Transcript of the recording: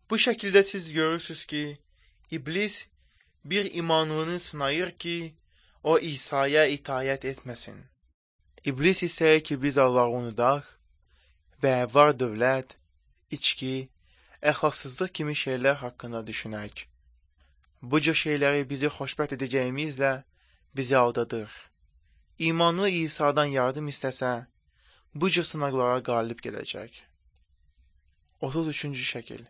Bu şəkildə siz görürsünüz ki, iblis bir imanını sınayır ki, o İsa'ya itaət etməsin. İblis istəyir ki, biz Allahı unudaq və var dövlət, içki, əxlaqsızlıq kimi şeylər haqqında düşünək. Bu cür şeyləri bizi xoşbəxt edəcəyimizlə bizi aldadır. İmanlı İsa'dan yardım istəsə, bu cür sınaqlara qalib gələcək. 33-cü şəkil.